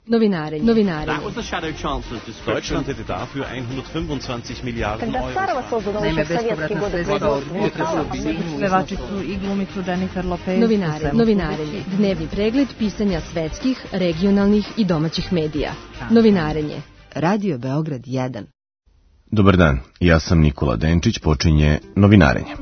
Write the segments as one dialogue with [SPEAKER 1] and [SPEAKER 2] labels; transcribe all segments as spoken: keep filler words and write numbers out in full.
[SPEAKER 1] Novinarenje. Novinarenje.
[SPEAKER 2] That was the Shadow Chancellor's description.
[SPEAKER 3] Deutschland hätte dafür hundertfünfundzwanzig Miliarden Euro.
[SPEAKER 4] Naime, bespovratna sredstva od pevačicu i glumicu Jennifer Lopez.
[SPEAKER 1] Novinare, novinarenje. Dnevni pregled pisanja svetskih, regionalnih i domaćih medija. Novinarenje. Radio Beograd jedan.
[SPEAKER 5] Dobar dan, ja sam Nikola Denčić, počinje Novinarenje.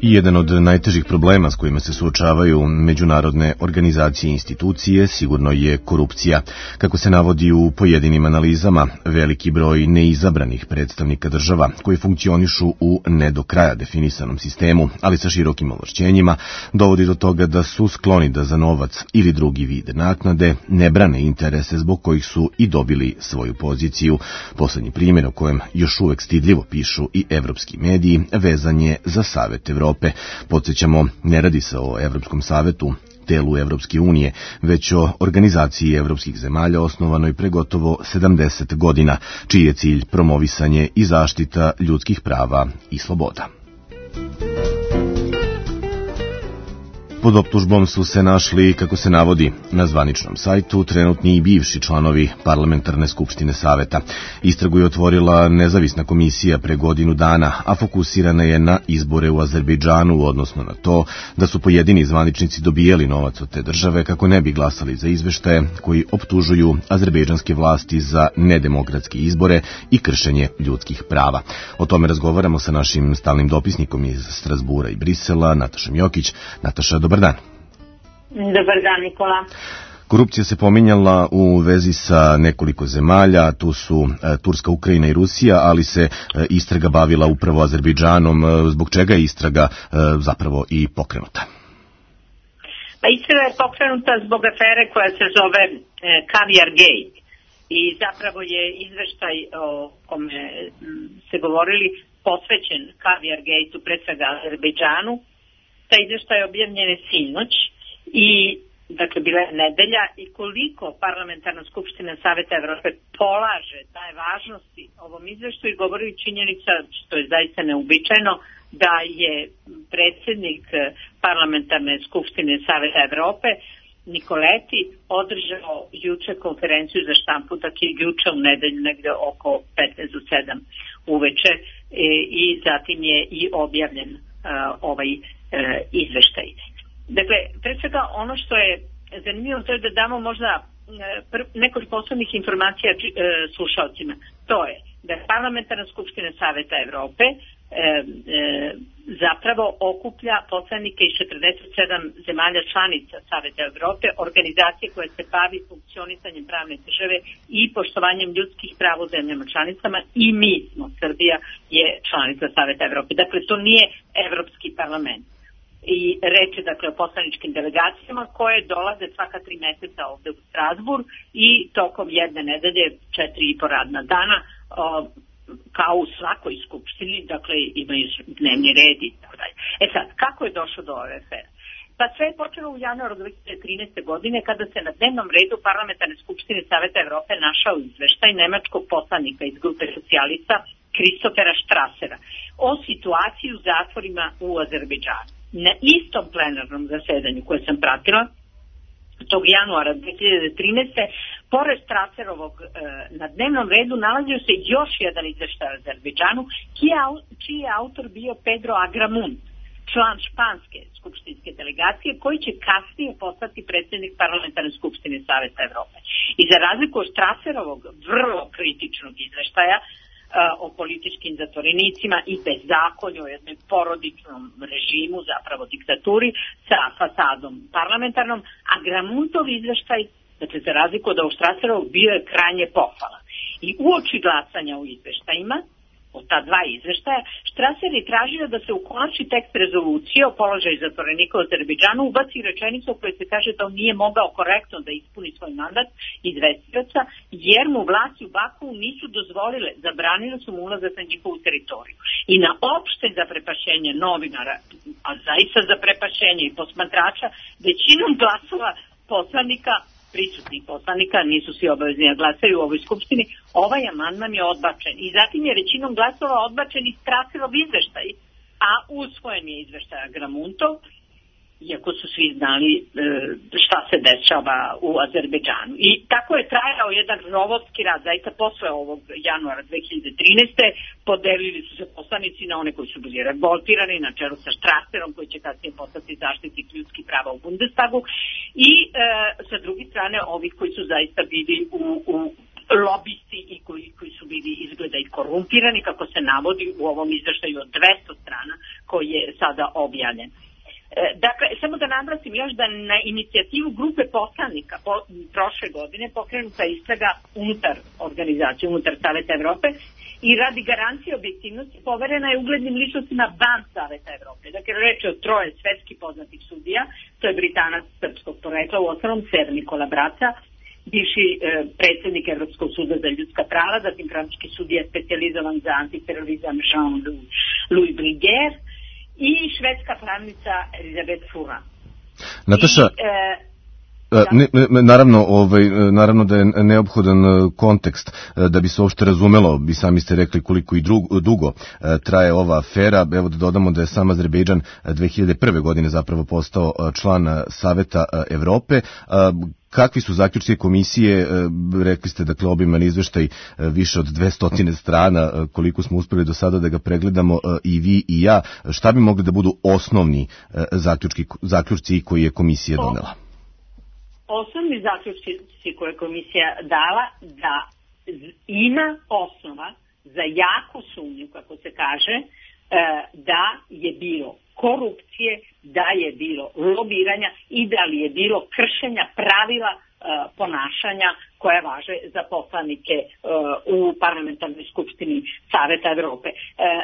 [SPEAKER 5] I jedan od najtežih problema s kojima se suočavaju međunarodne organizacije i institucije sigurno je korupcija. Kako se navodi u pojedinim analizama, veliki broj neizabranih predstavnika država koji funkcionišu u ne do kraja definisanom sistemu, ali sa širokim ovlašćenjima, dovodi do toga da su skloni da za novac ili drugi vid naknade ne brane interese zbog kojih su i dobili svoju poziciju. Poslednji primjer o kojem još uvek stidljivo pišu i evropski mediji vezan je za Savet Evrope. Podsjećamo, ne radi se o Evropskom savetu, telu Evropske unije, već o organizaciji evropskih zemalja osnovanoj pre gotovo sedamdeset godina, čiji je cilj promovisanje i zaštita ljudskih prava i sloboda. Pod optužbom su se našli, kako se navodi na zvaničnom sajtu, trenutni i bivši članovi Parlamentarne skupštine Saveta. Istragu je otvorila nezavisna komisija pre godinu dana, a fokusirana je na izbore u Azerbejdžanu, odnosno na to da su pojedini zvaničnici dobijeli novac od te države kako ne bi glasali za izveštaje koji optužuju azerbejdžanske vlasti za nedemokratske izbore i kršenje ljudskih prava. O tome razgovaramo sa našim stalnim dopisnikom iz Strazbura i Brisela, Natašom Jokić. Nataša, dobar dan.
[SPEAKER 6] Dobar dan, Nikola.
[SPEAKER 5] Korupcija se pominjala u vezi sa nekoliko zemalja, tu su e, Turska, Ukrajina i Rusija, ali se e, istraga bavila upravo Azerbejdžanom. E, zbog čega je istraga e, zapravo i pokrenuta?
[SPEAKER 6] Pa istraga je pokrenuta zbog afere koja se zove e, Caviar Gate i zapravo je izveštaj o kome se govorili posvećen Caviar Gateu, pre svega Azerbejdžanu. Taj izveštaj je objavljen sinoć i dakle bila je nedelja i koliko Parlamentarna skupština Saveta Evrope polaže daje važnosti ovom izveštaju i govori činjenica, što je zaista neuobičajeno, da je predsjednik Parlamentarne skupštine Saveta Evrope Nikoleti održao juče konferenciju za štampu, dakle juče u nedelju negde oko petnaest do sedam uveče e, i zatim je i objavljen a, ovaj izveštaj. Dakle, pre svega ono što je zanimljivo to je da damo možda nekoliko posebnih informacija slušalcima. To je da je Parlamentarna skupština Saveta Evrope e, e, zapravo okuplja poslanike iz četrdeset sedam zemalja članica Saveta Evrope, organizacije koja se bavi funkcionisanjem pravne države i poštovanjem ljudskih prava u zemljama članicama i mi smo, Srbija je članica Saveta Evrope. Dakle, to nije Evropski parlament. I reč je dakle o poslaničkim delegacijama koje dolaze svaka tri meseca ovde u Strazbur i tokom jedne nedelje, četiri i po radna dana, o, kao u svakoj skupštini, dakle imaju dnevni red i tako dalje. E sad, kako je došlo do ove afere? Pa sve je počelo u januaru dve hiljade trinaeste. godine kada se na dnevnom redu Parlamentarne skupštine Saveta Evrope našao izveštaj nemačkog poslanika iz grupe socijalista Kristofera Štrasera o situaciji u zatvorima u Azerbejdžanu. Na istom plenarnom zasedanju koje sam pratila, tog januara dve hiljade trinaeste. pored Straserovog e, na dnevnom redu nalazio se još jedan izveštaj o Azerbejdžanu, čiji je autor bio Pedro Agramunt, član španske skupštinske delegacije, koji će kasnije postati predsjednik Parlamentarne skupštine Saveta Evrope. I za razliku od Straserovog vrlo kritičnog izveštaja o političkim zatvorenicima i bezakonju, o jednom porodičnom režimu, zapravo diktaturi, sa fasadom parlamentarnom, a Gramuntov izveštaj, dakle za razliku od ovog Straserovog, bio je krajnje pohvala. I uoči glasanja u izveštajima, od ta dva izveštaja, Štraser je tražio da se u konačni tekst rezolucije o položaju zatvorenika u Azerbejdžanu ubaci rečenica u kojoj se kaže da on nije mogao korektno da ispuni svoj mandat izvestioca, jer mu vlasti u Baku nisu dozvolile, zabranile su mu ulazak na njihovu teritoriju. I na opšte zaprepašćenje novinara, a zaista zaprepašćenje i posmatrača, većinom glasova poslanika, prisutnih poslanika, nisu svi obavezni da glasaju u ovoj skupštini, ovaj amandman je odbačen. I zatim je većinom glasova odbačen i Straserov izveštaj, a usvojen je izveštaj Gramuntov iako su svi znali e, šta se dešava u Azerbejdžanu. I tako je trajao jedan robotski rad, zaista posle ovog januara dve hiljade trinaeste. Podelili su se poslanici na one koji su bili revoltirani, na čelu sa Strasserom, koji će kasnije postati zaštitnik ljudskih prava u Bundestagu, i e, sa druge strane ovih koji su zaista bili u, u lobisti i koji, koji su bili izgleda i korumpirani, kako se navodi u ovom izveštaju od dvesta strana koji je sada objavljen. Dakle, samo da naglasim još da na inicijativu grupe poslanika po, prošle godine pokrenuta istraga unutar organizacije, unutar Saveta Evrope, i radi garancije objektivnosti poverena je uglednim ličnostima van Saveta Evrope. Dakle, reč je o troje svetski poznatih sudija, to je Britanac srpskog porekla, u osnovom Ser Nikola Braca, bivši e, predsjednik Evropskog suda za ljudska prava, zatim francuski sudija specijalizovan za antiterorizam Jean-Louis Bruguière, i švedska pravnica Elizabeth Fura.
[SPEAKER 5] Nataša,
[SPEAKER 6] I, e,
[SPEAKER 5] ne, ne, naravno, ovaj, naravno da je neophodan kontekst da bi se uopšte razumelo, bi sami ste rekli koliko i drugo, dugo traje ova afera. Evo da dodamo da je sam Azerbejdžan dve hiljade prve. godine zapravo postao član Saveta Evrope. Kakvi su zaključci komisije? Rekli ste, dakle, obiman izveštaj više od dvesta strana, koliko smo uspeli do sada da ga pregledamo i vi i ja. Šta bi mogli da budu osnovni zaključki, zaključci koje je komisija donela?
[SPEAKER 6] Osnovni zaključci koje je komisija dala da ima osnova za jaku sumnju, kako se kaže, da je bilo korupcije, da je bilo lobiranja i da li je bilo kršenja pravila ponašanja koje važe za poslanike u parlamentarnoj skupštini Saveta Evrope.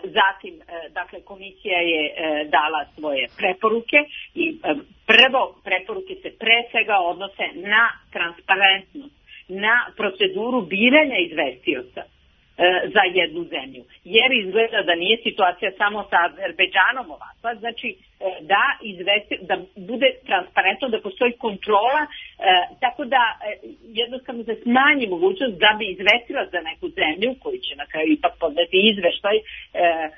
[SPEAKER 6] Zatim, dakle, komisija je dala svoje preporuke i prvo preporuke se pre svega odnose na transparentnost, na proceduru biranja izvestioca za jednu zemlju. Jer izgleda da nije situacija samo sa Azerbejdžanom ovakva, znači da, izvesti, da bude transparentno, da postoji kontrola, e, tako da e, jednostavno se smanji mogućnost da bi izvestila za neku zemlju, koji će na kraju ipak podneti izveštaj e, e,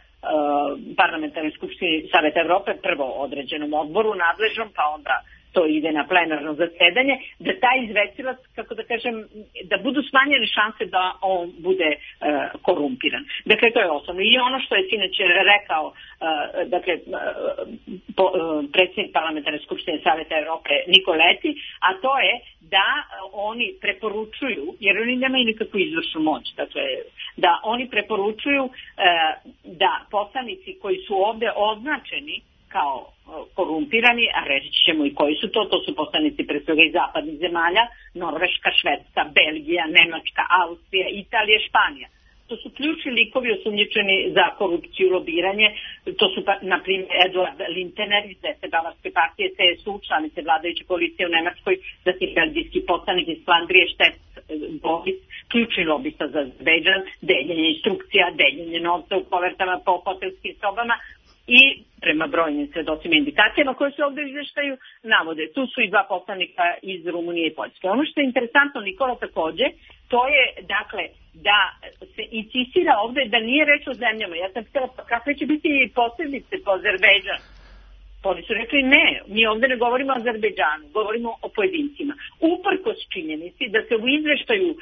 [SPEAKER 6] parlamentarnoj skupštini Saveta Evrope, prvo određenom odboru nadležnom, pa onda to ide na plenarno zasedanje, da taj izvestilac, kako da kažem, da budu smanjene šanse da on bude e, korumpiran. Dakle, to je osnovno. I ono što je sinoć rekao e, dakle, po, e, predsjednik parlamentarne skupštine Saveta Evrope Nikoleti, a to je da oni preporučuju, jer oni nemaju nikakvu izvršnu moć, dakle, da oni preporučuju e, da poslanici koji su ovde označeni kao korumpirani, a reći ćemo i koji su to, to su poslanici pre svega iz zapadnih zemalja, Norveška, Švedska, Belgija, Nemačka, Austrija, Italija, Španija. To su ključni likovi osumnjičeni za korupciju i lobiranje. To su, na primjer, Eduard Lintener iz desete Bavarske partije, C S U, članice vladajuće koalicije u Nemačkoj, zatim belgijski poslanik iz Flandrije, Štef Boris, ključni lobista za Azerbejdžan, deljenje instrukcija, deljenje novca u kovertama po hotelskim sobama, i prema brojnim svedocima i indikacijama koje se ovdje u izveštaju navode. Tu su i dva poslanika iz Rumunije i Poljske. Ono što je interesantno, Nikola, takođe, to je, dakle, da se insistira ovdje da nije reč o zemljama. Ja sam htjela, pa kakve će biti posljedice po Azerbejdžanu? Oni su rekli ne, mi ovdje ne govorimo o Azerbejdžanu, govorimo o pojedincima. Uprkos činjenici da se u izveštaju e,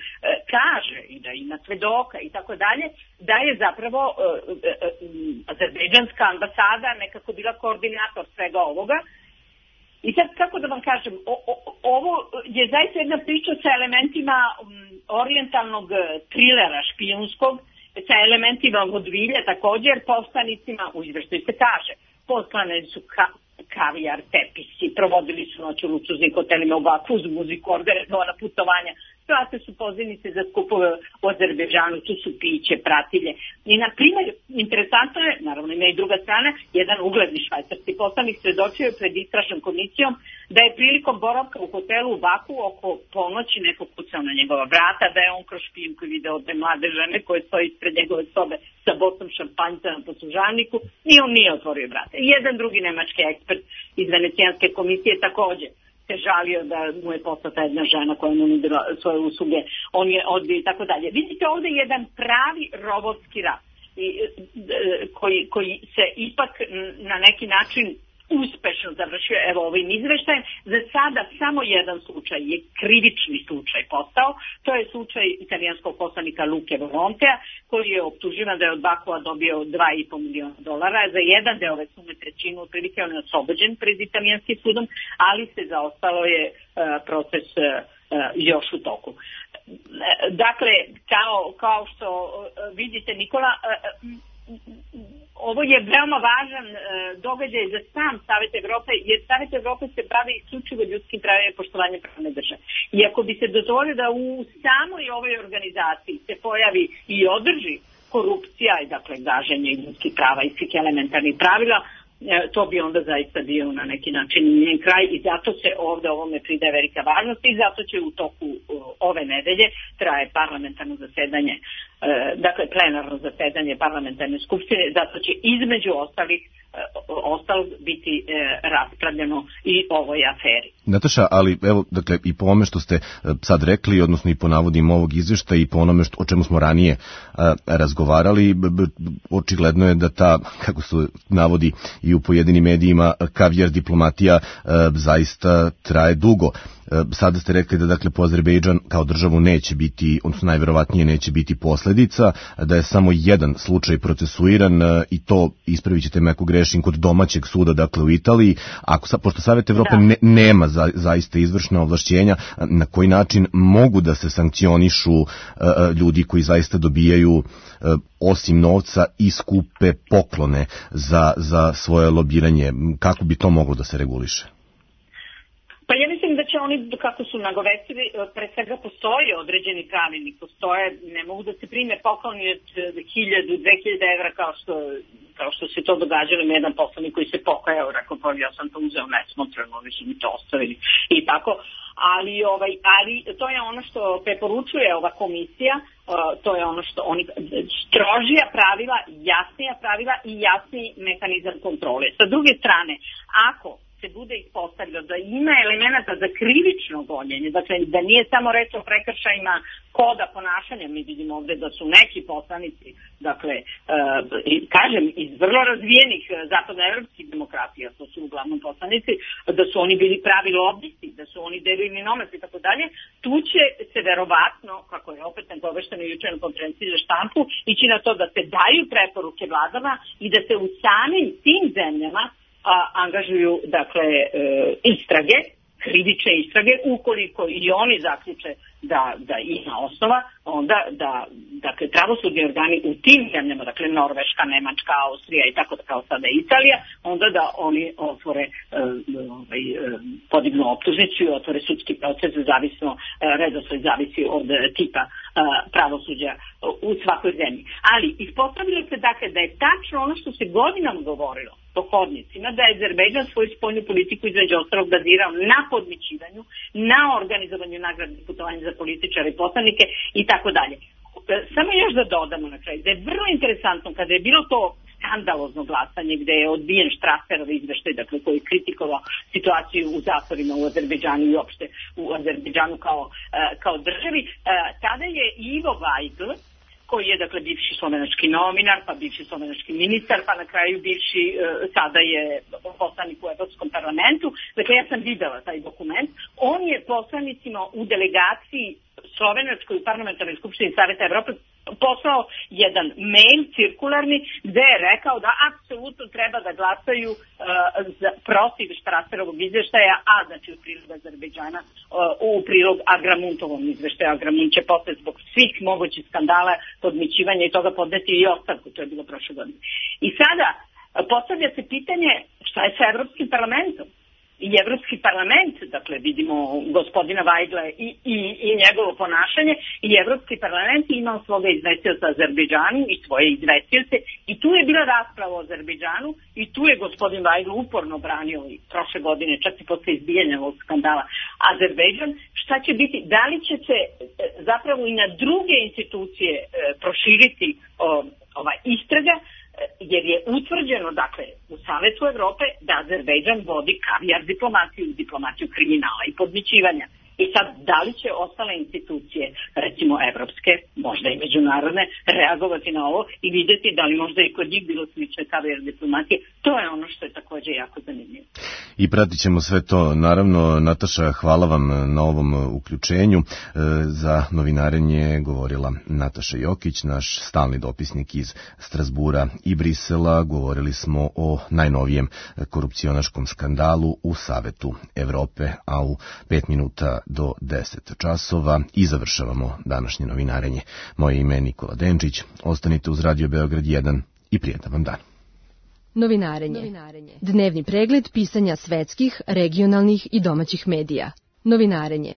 [SPEAKER 6] kaže i da ima svedoka i tako dalje, da je zapravo e, e, e, azerbejdžanska ambasada nekako bila koordinator svega ovoga. I sad, kako da vam kažem, o, o, ovo je zaista jedna priča sa elementima um, orijentalnog trilera špijunskog, sa elementima vodvilja također, poslanicima, u izveštaju se kaže, poslane su ka, kavijar, tepisi, provodili su noć u luksuznim hotelima u Baku uz muziku, organizovana putovanja, plate su pozivnice za skupove u Azerbejdžanu, tu su piće, pratilje. I, na primjer, interesantno je, naravno ima i druga strana, jedan ugledni švajcarski poslanik svedočio je pred istražnom komisijom da je prilikom boravka u hotelu u Baku oko ponoći neko kucao na njegova vrata, da je on kroz špijunku video dve mlade žene koje stoji ispred njegove sobe sa botom šampanjca na poslužavniku i on nije otvorio vrata. I jedan drugi nemački ekspert iz Venecijanske komisije također se žalio da mu je poslata jedna žena koja mu nudila svoje usluge, on je odbio i tako dalje. Vidite ovdje jedan pravi robotski rad koji, koji se ipak na neki način uspešno završio evo ovim izveštajem. Za sada samo jedan slučaj je krivični slučaj postao, to je slučaj italijanskog poslanika Luke Volontea, koji je optuživan da je od Bakua dobio dva i po miliona dolara. Za jedan deo ove sume, trećinu, otprilike on je oslobođen pred italijanskim sudom, ali se zaostalo je uh, proces uh, još u toku. Dakle, kao, kao što uh, vidite, Nikola, uh, ovo je veoma važan uh, događaj za sam Savet Evrope, jer Savet Evrope se bavi isključivo ljudskim pravima i poštovanjem pravne države. I ako bi se dozvolio da u samoj ovoj organizaciji se pojavi i održi korupcija i dakle gaženje ljudskih prava i svih elementarnih pravila, to bi onda zaista bio na neki način njen kraj i zato se ovde ovome pridaje velika važnost i zato će u toku ove nedelje traje parlamentarno zasedanje, dakle plenarno zasedanje parlamentarne skupštine, zato će između ostalih ostalo biti raspravljeno i ovoj aferi.
[SPEAKER 5] Nataša, ali evo, dakle, i po ome što ste sad rekli, odnosno i po navodima ovog izveštaja i po onome što, o čemu smo ranije a, razgovarali, b, b, očigledno je da ta, kako se navodi i u pojedinim medijima, kavijar diplomatija a, zaista traje dugo. Sada ste rekli da dakle po Azerbejdžan kao državu neće biti, odnosno najverovatnije neće biti posledica, da je samo jedan slučaj procesuiran i to, ispravit ćete me ako grešim, kod domaćeg suda, dakle u Italiji. Ako, pošto Savet Evrope ne, nema za, zaista izvršna ovlašćenja, na koji način mogu da se sankcionišu uh, ljudi koji zaista dobijaju uh, osim novca i skupe poklone za, za svoje lobiranje? Kako bi to moglo da se reguliše?
[SPEAKER 6] Pa ja mislim da će oni, kako su nagovestili, pre svega postoje određeni pravilnik, postoje, ne mogu da se prime pokloni od hiljadu, dve hiljade evra kao što, kao što se to događalo, ima jedan poslanik koji se pokajao, rekao pa ja sam to uzeo nesmotreno, oni su mi to ostavili i tako, ali, ovaj, ali to je ono što preporučuje ova komisija, to je ono što oni, strožija pravila, jasnija pravila i jasniji mehanizam kontrole. Sa druge strane, ako se bude ispostavljeno da ima elemenata za krivično gonjenje, dakle da nije samo reč o prekršajima koda ponašanja, mi vidimo ovde da su neki poslanici, dakle, uh, kažem, iz vrlo razvijenih zapadnoevropskih demokratija, to su uglavnom poslanici, da su oni bili pravi lobisti, da su oni delili novac i tako dalje, tu će se verovatno, kako je opet nagovešteno juče na konferenciji za štampu, ići na to da se daju preporuke vladama i da se u samim tim zemljama a, angažuju, dakle, e, istrage, krivične istrage, ukoliko i oni zaključe da, da ima osnova, onda da, dakle, pravosudni organi u tim zemljama, dakle, Norveška, Nemačka, Austrija i tako da kao sada Italija, onda da oni otvore, e, ovaj, e, podignu optužnicu i otvore sudski proces, zavisno, e, redosled zavisi od e, tipa e, pravosuđa u svakoj zemlji. Ali ispostavilo se, dakle, da je tačno ono što se godinama govorilo po hodnicima, da je Azerbejdžan svoju spoljnu politiku između ostalog bazirao na podmićivanju, na organizovanju nagradnih putovanja za političare i poslanike i tako dalje. Samo još da dodamo na kraju, da je vrlo interesantno kada je bilo to skandalozno glasanje gde je odbijen Strasserov izveštaj, dakle, koji je kritikovao situaciju u zatvorima u Azerbejdžanu i uopšte u Azerbejdžanu kao, kao državi, tada je Ivo Vajgl, koji je, dakle, bivši slovenački novinar, pa bivši slovenački ministar, pa na kraju bivši, e, sada je poslanik u Evropskom parlamentu. Dakle, ja sam videla taj dokument. On je poslanicima u delegaciji slovenačkoj u parlamentarnoj skupštini Saveta Evrope poslao jedan mail cirkularni gde je rekao da apsolutno treba da glasaju uh, za, protiv Strasserovog izveštaja, a znači u prilog Azerbejdžana, uh, u prilog Agramuntovom izveštaju. Agramunt će posle zbog svih mogućih skandala, podmićivanja i toga podneti i ostavku, to je bilo prošle godine. I sada uh, postavlja se pitanje šta je sa Evropskim parlamentom? I Evropski parlament, dakle vidimo gospodina Vajgla i, i, i njegovo ponašanje, i Evropski parlament imao svoga izvestioca Azerbejdžanu i svoje izvestioce i tu je bila rasprava o Azerbejdžanu i tu je gospodin Vajgl uporno branio i prošle godine, čak i posle izbijanja ovog skandala Azerbejdžan. Šta će biti, da li će se zapravo i na druge institucije proširiti o, ova istraga, jer je utvrđeno, dakle, u Savetu Evrope da Azerbejdžan vodi kavijar diplomaciju, diplomaciju kriminala i podmićivanja. I sad, da li će ostale institucije, recimo evropske, možda i međunarodne, reagovati na ovo i vidjeti da li možda i kod njih bilo slične kavijar diplomatije, to je ono što je također jako zanimljivo.
[SPEAKER 5] I pratit ćemo sve to. Naravno, Nataša, hvala vam na ovom uključenju. Za novinarenje govorila Nataša Jokić, naš stalni dopisnik iz Strasbura i Brisela. Govorili smo o najnovijem korupcionaškom skandalu u Savetu Evrope, a u pet minuta do deset časova i završavamo današnje novinarenje. Moje ime je Nikola Denčić. Ostanite uz Radio Beograd jedan i prijetan vam dan.
[SPEAKER 1] Novinarenje. Dnevni pregled pisanja svetskih, regionalnih i domaćih medija. Novinarenje.